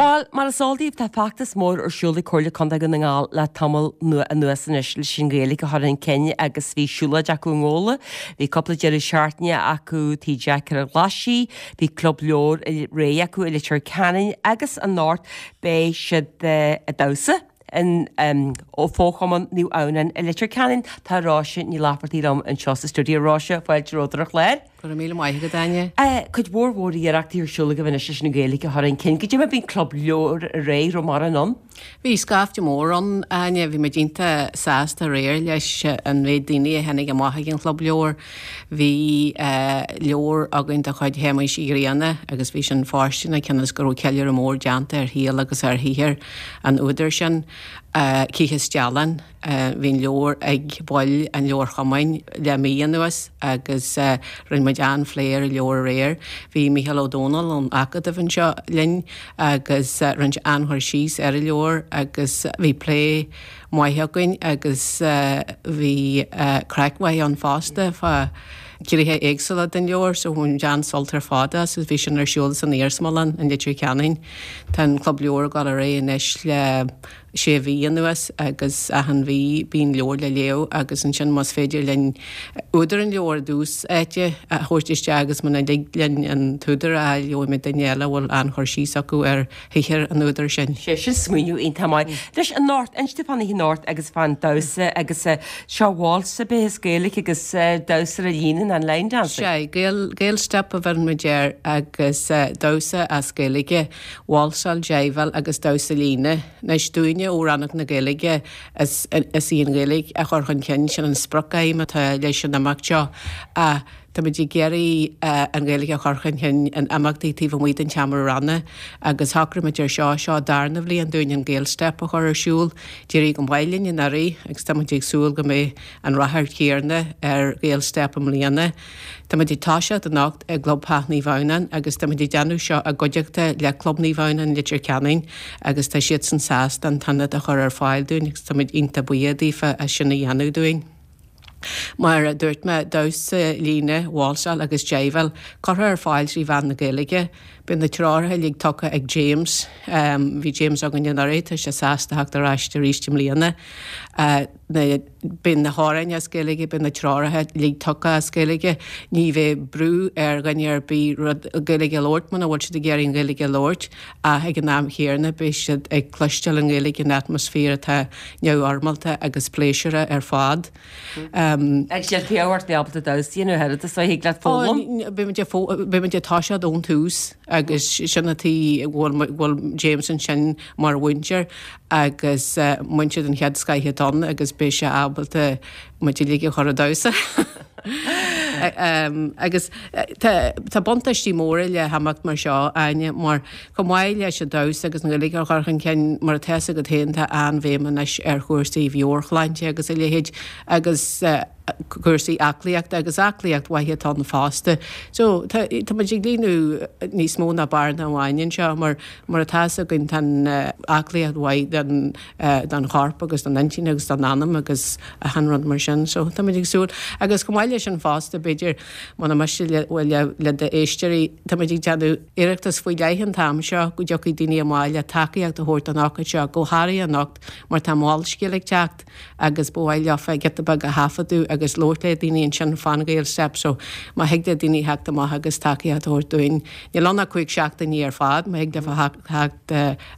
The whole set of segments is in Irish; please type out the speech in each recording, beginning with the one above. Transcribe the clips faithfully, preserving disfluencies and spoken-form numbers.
Bhuel, mar is eol daoibh, tá feachtas mór ar siúl ag Comhairle Contae Dhún na nGall le tamall nua anuas anois leis an Ghaeilge a chur chun cinn agus bhí siúlóid acu i nGabhla, bhí cúpla deireadh seachtaine acu Tigh Jeaic ar an Ghlaisigh, bhí club leabhar aréir acu i Leitir Ceanainn agus anocht beidh siad ag damhsa in Fo-Chumann Naomh Adhamhnáin i Leitir Ceanainn. Tá Róise Ní Laifeartaigh liom anseo sa stiúideo. Róise, fáilte romhat ar an chlár. Go raibh míle maith agat, Áine. Cuid mhór mhór iarrachtaí ar siúl agaibh anois leis an Ghaeilge a chur chun cinn. Goidé mar bhí an club leabhar aréir, raibh mórán ann? Bhí scaifte mór ann, Áine. Bhí muid iontach sásta aréir leis an mhéid daoine a tháinig amach ag an chlub leabhar. Bhí leabhar againn de chuid Shéamuis Uí Ghrianna agus bhí sin fóirsteanach cionn is go raibh ceiliúradh mór déanta ar shaol agus ar shaothar an údair sin, Cíche Stealláin. Bhí an leabhar ag baill an leabharchumainn le mí anuas agus rinne muid an-phlé ar an leabhar aréir. Bhí Mícheál Ó Domhnaill ón Acadamh anseo linn agus rinne sé an-chur síos ar an leabhar agus bhí plé maith againn agus bhí craic mhaith ann fosta fá ghnéithe éagsúla den leabhar so bhain muid an-sult ar fad as agus bhí sin ar siúl san Iarsmalann in Leitir Ceanainn. Tá an Club Leabhar ag dul ar aghaidh anois le sé mhí anuas agus achan mhí bíonn leabhar le léamh agus ansin más féidir linn údar an leabhair i dtús áite a thabhairt isteach agus muna dtig linn an t-údar a fháil gheobhaimid duine eile a bhfuil an-chur síos acu ar shaothar an údair sin. Sé sin smaoineamh iontach maith. Anois anocht, inis domh fán oíche anocht agus fán damhsa agus seo waltz ar bith as Gaeilge agus damhsa ar líne an line dancing. Sea, Gael, Gael Step a bheireann muid air agus damhsa as Gaeilge, válsáil, jiveáil agus damhsa líne. Anois, dúinne ó Rannóg na Gaeilge, is í an Ghaeilge a chur chun cinn, sin an sprioc-aidhm atá leis an imeacht seo ach táimid ag iarraidh an Ghaeilge a chur chun cinn in imeachtaí taobh amuigh den tseomra ranga agus shocraigh muid ar seo, seo an darna bhliain dúinn an Gaelstep a chur ar siúl. D'éirigh go maith linn anuraidh agus táimid ag súil go mbeidh an ráchairt chéanna ar Ghaelstep i mbliana. Táimid ag toiseacht anocht i gClubtheach Naomh Adhamhnáin agus táimid ag déanamh seo i gcuideachta le Club Naomh Adhamhnáin Leitir Ceanainn agus tá siadsan sásta an t-ionad a chur ar fáil dúinn agus táimid iontach buíoch daofa as sin a dhéanamh dúinn. Mar a dúirt mé, damhsa líne, válsáil agus jiveáil curtha ar fáil trí mheán na Gaeilge. Beidh na treoracha uilig tugtha ag James. Bhí James againn anuraidh, tá sé sásta theacht ar ais arís i mbliana. Beidh na hamhráin as Gaeilge, beidh na treoracha uilig tugtha as Gaeilge. Ní bheidh brú ar dhuine ar bith rud Gaeilge a labhairt muna bhfuil siad ag iarraidh an Ghaeilge a labhairt ach ag an am chéanna beidh siad ag cloisteáil an Ghaeilge in atmaisféar atá neamhfhoirmeálta agus pléisiúrtha ar fad. Agus níl fiú ort bheith ábalta damhsa a dhéanamh oiread is a thig leat foghlaim. Beidh muid ag toiseacht ón tús agus sin an tuige go bhfuil James ansin mar mhúinteoir agus múinteoir den chéad scoith atá ann agus beidh sé ábalta muid uilig a chur ag damhsa. Agus tá buntáistí móra le himeacht mar seo, Áine, mar chomh maith leis an damhsa agus an Ghaeilge a chur chun cinn, mar atá fhios agat féin, tá an-bhéim anois ar chúrsaí mheabhairshláinte agus a leithéid agus cúrsaí aclaíochta agus aclaíocht mhaith atá ann fosta. So tá tá muid ag líonadh níos mó ná bearna amháin anseo mar mar atá fhios againn tá an aclaíocht mhaith don don chorp agus don intinn agus don anam agus achan rud mar sin. So tá muid ag súil agus chomh maith leis sin fosta b'fhéidir muna miste le le le d'éisteoirí tá muid ag déanamh iarrachtas faoi leith an t-am seo go dtiocfaidh daoine amach le tacaíocht a thabhairt don ócáid seo go háirithe anocht mar tá Molscéal ag teacht agus ba mhaith leofa giota beag a thaifeadadh agus labhairt le daoine ansin fán Ghaelstep so má thig le daoine theacht amach agus tacaíocht a thabhairt dúinn, níl ann ach cúig seachtainí ar fad, má thig leofa theacht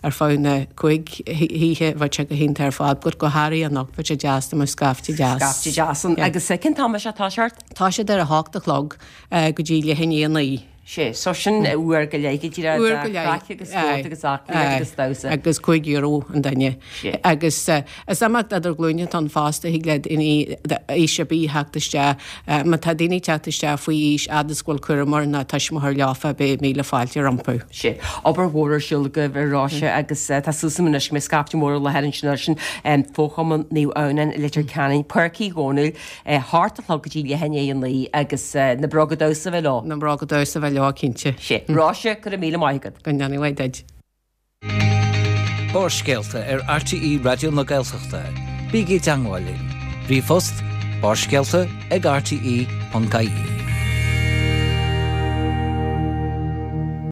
ar feadh na cúig hoíche bheadh sé go hiontach ar fad but go háirithe anocht bheadh sé deas dá mbeadh scaifte deas. Scaifte deas ann. Agus cén t-am é seo ag toiseacht? Tá siad ar a hocht a chlog go dtí leath i ndiaidh a naoi. Sé, so sin uair go leith go díreach Uair go leith. Craic agus spórt agus aclaíocht agus damhsa. Agus cúig euro an duine. Sé. Agus is imeacht idir ghlúine atá ann fosta, thig le daoine aois ar bith theacht isteach. Má tá daoine ag teacht isteach faoi aois, fhad is go bhfuil cúramóir nó tuismitheoir leofa, beidh míle fáilte rompu. Sé. Obair mhór ar siúl agaibh a Róise agus tá súil agam anois go mbeidh scaifte mór i láthair ansin ansin Fo-Chumann Naomh Adhamhnáin i Leitir Ceanainn, Páirc Uí Dhónaill. A hocht a chlog go dtí leath i ndiaidh a naoi agus na bróga damhsa a bheith leo. Na bróga damhsa a bheith leo, cinnte. Sé. Róise, go raibh míle maith agat. Go ndéana mhaith duit. Barrscéalta ar RTÉ Raidió na Gaeltachta. Bígí i dteangmháil linn. Ríomhphost, barrscéalta ag rte ponc ie.